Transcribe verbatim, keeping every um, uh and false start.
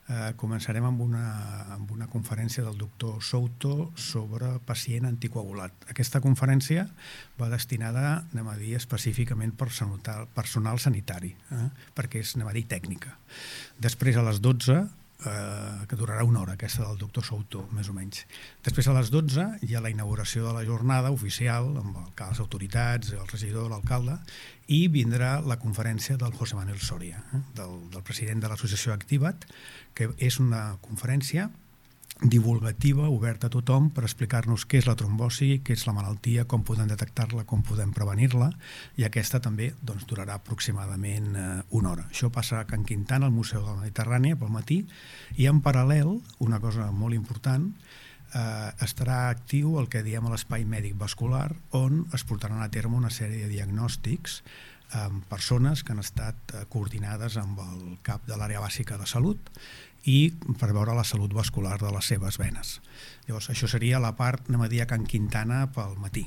Eh, començarem amb una, amb una conferència del doctor Souto sobre pacient anticoagulat. Aquesta conferència va destinada, anem a dir, específicament per personal sanitari, eh, perquè és, anem a dir, tècnica. Després, a les dotze, eh, que durarà una hora, aquesta del doctor Souto, més o menys. Després, a les dotze, hi ha la inauguració de la jornada oficial, amb les autoritats, el regidor, l'alcalde, i vindrà la conferència del José Manuel Soria, eh, del, del president de l'associació Activa't, que és una conferència divulgativa, oberta a tothom, per explicar-nos què és la trombosi, què és la malaltia, com podem detectar-la, com podem prevenir-la, i aquesta també doncs, durarà aproximadament eh, una hora. Això passa a Can Quintana, al Museu de la Mediterrània, pel matí, i en paral·lel, una cosa molt important, eh, estarà actiu el que diem a l'espai mèdic vascular, on es portaran a terme una sèrie de diagnòstics amb persones que han estat coordinades amb el cap de l'àrea bàsica de salut i per veure la salut vascular de les seves venes. Llavors, això seria la part, anem a dir, a Can Quintana pel matí.